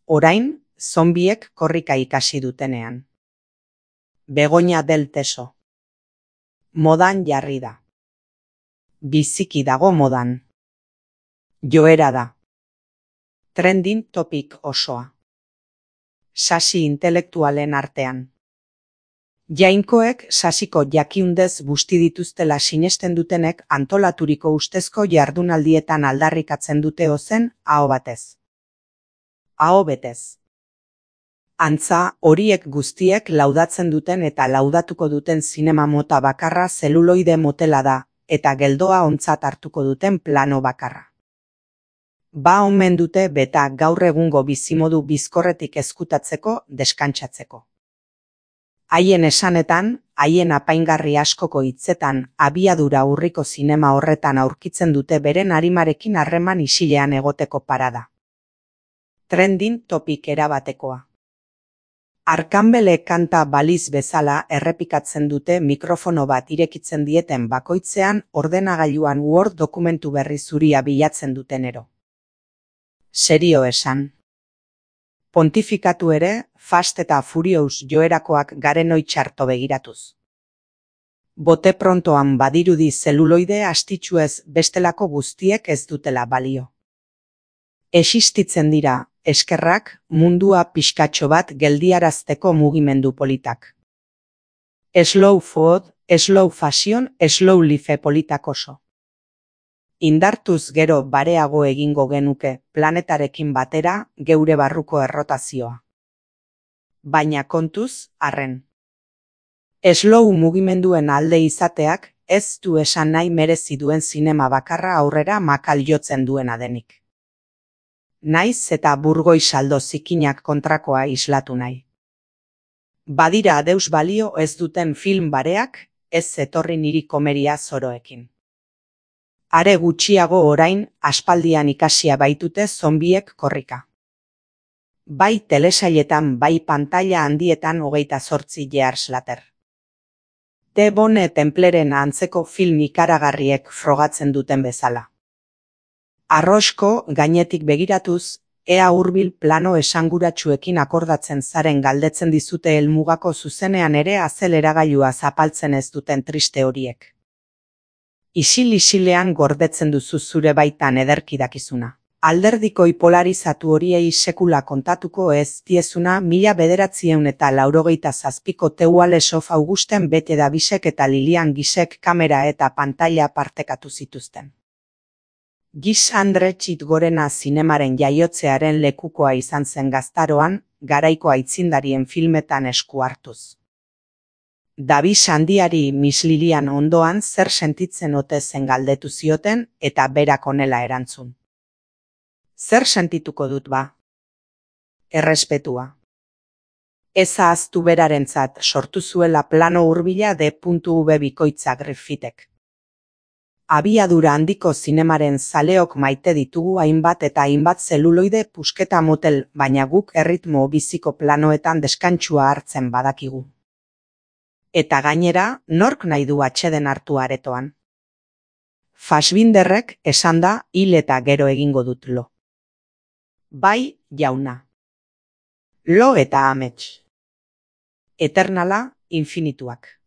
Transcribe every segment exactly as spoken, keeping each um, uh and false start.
Orain, zonbiek korrika ikasi dutenean. Begoña del Teso. Modan jarri da. Biziki dago modan. Joera da. Trending topic osoa. Sasi intelektualen artean. Jainkoek sasiko jakiundez busti dituztela sinesten dutenek antolaturiko ustezko jardunaldietan aldarrikatzen dute ozen aho batez. Aho betez. Antza, horiek guztiek laudatzen duten eta laudatuko duten zinema mota bakarra zeluloide motela da, eta geldoa ontzat hartuko duten plano bakarra. Ba omen dute beta gaur egungo bizimodu bizkorretik ezkutatzeko, deskantsatzeko. Haien esanetan, haien apaingarri askoko hitzetan, abiadura urriko zinema horretan aurkitzen dute beren arimarekin harreman isilean egoteko parada. Trending topic erabatekoa. Arkambele kanta baliz bezala errepikatzen dute mikrofono bat irekitzen dieten bakoitzean ordenagailuan Word dokumentu berri zuria bilatzen dutenero. Serio esan. Pontifikatu ere, Fast eta Furious joerakoak garenoi txarto begiratuz. Bote prontoan badirudi zeluloide astitsuez bestelako guztiek ez dutela balio. Existitzen dira, eskerrak, mundua pixkatxo bat geldiarazteko mugimendu politak. Slow food, slow fashion, slow life politak oso. Indartuz gero bareago egingo genuke planetarekin batera geure barruko errotazioa. Baina kontuz, arren. Slow mugimenduen alde izateak ez du esan nahi merezi duen zinema bakarra aurrera makal jotzen duena denik. Naiz eta burgoi saldo zikinak kontrakoa islatu nahi. Badira adeus balio ez duten film bareak, ez etorri niri komeria zoroekin. Are gutxiago orain, aspaldian ikasia baitute zonbiek korrika. Bai telesailetan bai pantaila handietan hogeita zortzi years later. The Bone Templeren antzeko film ikaragarriek frogatzen duten bezala. Arrosko gainetik begiratuz, ea hurbil plano esanguratsuekin akordatzen zaren galdetzen dizute helmugako zuzenean ere azeleragailua zapaltzen ez duten triste horiek. Isil-isilean gordetzen duzu zure baitan ederki dakizuna. Alderdikoi polarizatu horiei sekula kontatuko ez diezuna mila bederatzieun eta laurogeita zazpiko Teualesof Augusten Bete Davisek eta Lilian Gisek kamera eta pantaila partekatu zituzten. Gis Andre Txitgorena zinemaren jaiotzearen lekukoa izan zen gaztaroan, garaiko aitzindarien filmetan esku hartuz. Davis handiari Miss Lilian ondoan zer sentitzen ote zen galdetu zioten eta berak honela erantzun. Zer sentituko dut ba? Errespetua. Ez ahaztu berarentzat sortu zuela plano hurbila D.V bikoitza Griffithek. Abiadura handiko zinemaren zaleok maite ditugu hainbat eta hainbat zeluloide pusketa motel, baina guk erritmo biziko planoetan deskantsua hartzen badakigu. Eta gainera, nork nahi du atxeden hartu aretoan. Fassbinderrek esan da hil eta gero egingo dut lo. Bai, jauna. Lo eta amets. Eternala, infinituak.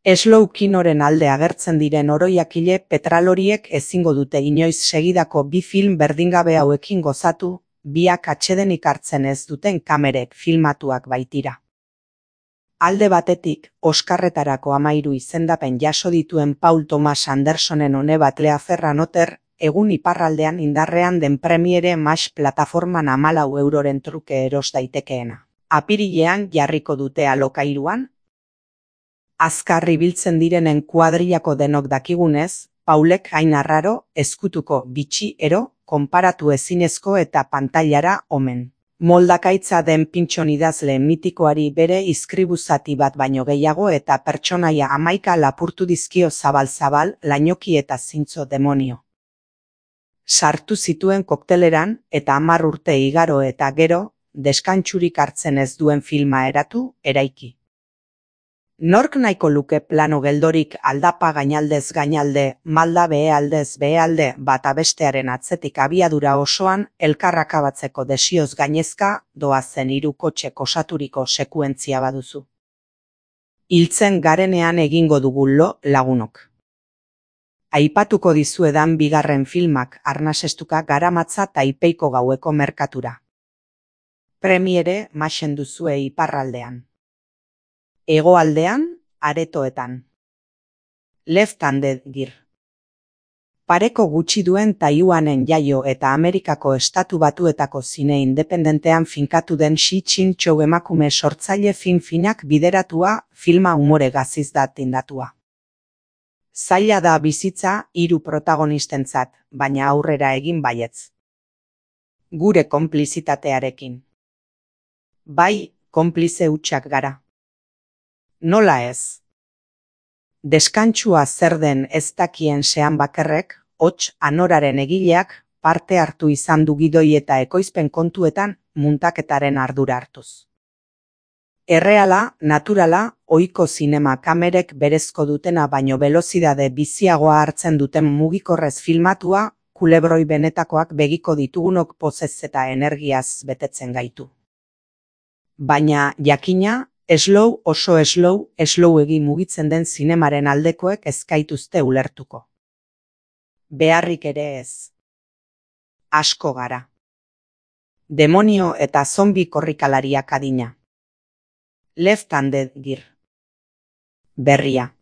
Slow kinoren alde agertzen diren oroiakile petraloriek ezingo dute inoiz segidako bi film berdingabe hauekin gozatu, biak atxedenik hartzen ez duten kamerek filmatuak baitira. Alde batetik, Oskarretarako amairu izendapen jaso dituen Paul Thomas Andersonen one bat Lea Ferranoter, egun iparraldean indarrean den Premiere Max plataforman hamalau euroren truke eros daitekeena. Apirilean jarriko dute alokairuan. Azkar ibiltzen direnen kuadrillako denok dakigunez, Paulek hain arraro, ezkutuko bitxi ero, konparatu ezinezko eta pantailara omen. Moldakaitza den pintxon idazle mitikoari bere izkribuzati bat baino gehiago eta pertsonaia hamaika lapurtu dizkio zabal-zabal, lainoki eta zintzo demonio. Sartu zituen kokteleran eta hamar urte igaro eta gero, deskantsurik hartzen ez duen filma eratu, eraiki. Nork nahiko luke plano geldorik aldapa gainaldez gainalde, malda behealdez behealde bata bestearen atzetik abiadura osoan elkarrakabatzeko desioz gainezka doazen hiru kotxek osaturiko sekuentzia baduzu. Hiltzen garenean egingo dugu lo lagunok. Aipatuko dizuedan bigarren filmak arnasestuka garamatza Taipeiko gaueko merkatura. Premiere maxen duzue iparraldean. Hegoaldean, aretoetan. Left-handed gear. Pareko gutxi duen Taiwanen jaio eta Amerikako estatu batuetako zine independentean finkatu den Shi Chin-chou emakume sortzaile fin-finak bideratua filma umore gaziz da tindatua. Zaila da bizitza hiru protagonistentzat, baina aurrera egin baietz. Gure konplizitatearekin. Bai, konplize hutsak gara. Nola ez? Deskantsua zer den ez dakien sean bakerrek, hots anoraren egileak parte hartu izan du gidoi eta ekoizpen kontuetan muntaketaren ardura hartuz. Erreala, naturala, ohiko zinema kamerek berezko dutena baino belozidade biziagoa hartzen duten mugikorrez filmatua, kulebroi benetakoak begiko ditugunok pozez eta energiaz betetzen gaitu. Baina, jakina, slow oso slow, slowegi mugitzen den zinemaren aldekoek ez gaituzte ulertuko. Beharrik ere ez. Asko gara. Demonio eta zombi korrikalariak adina. Left-handed gear. Berria.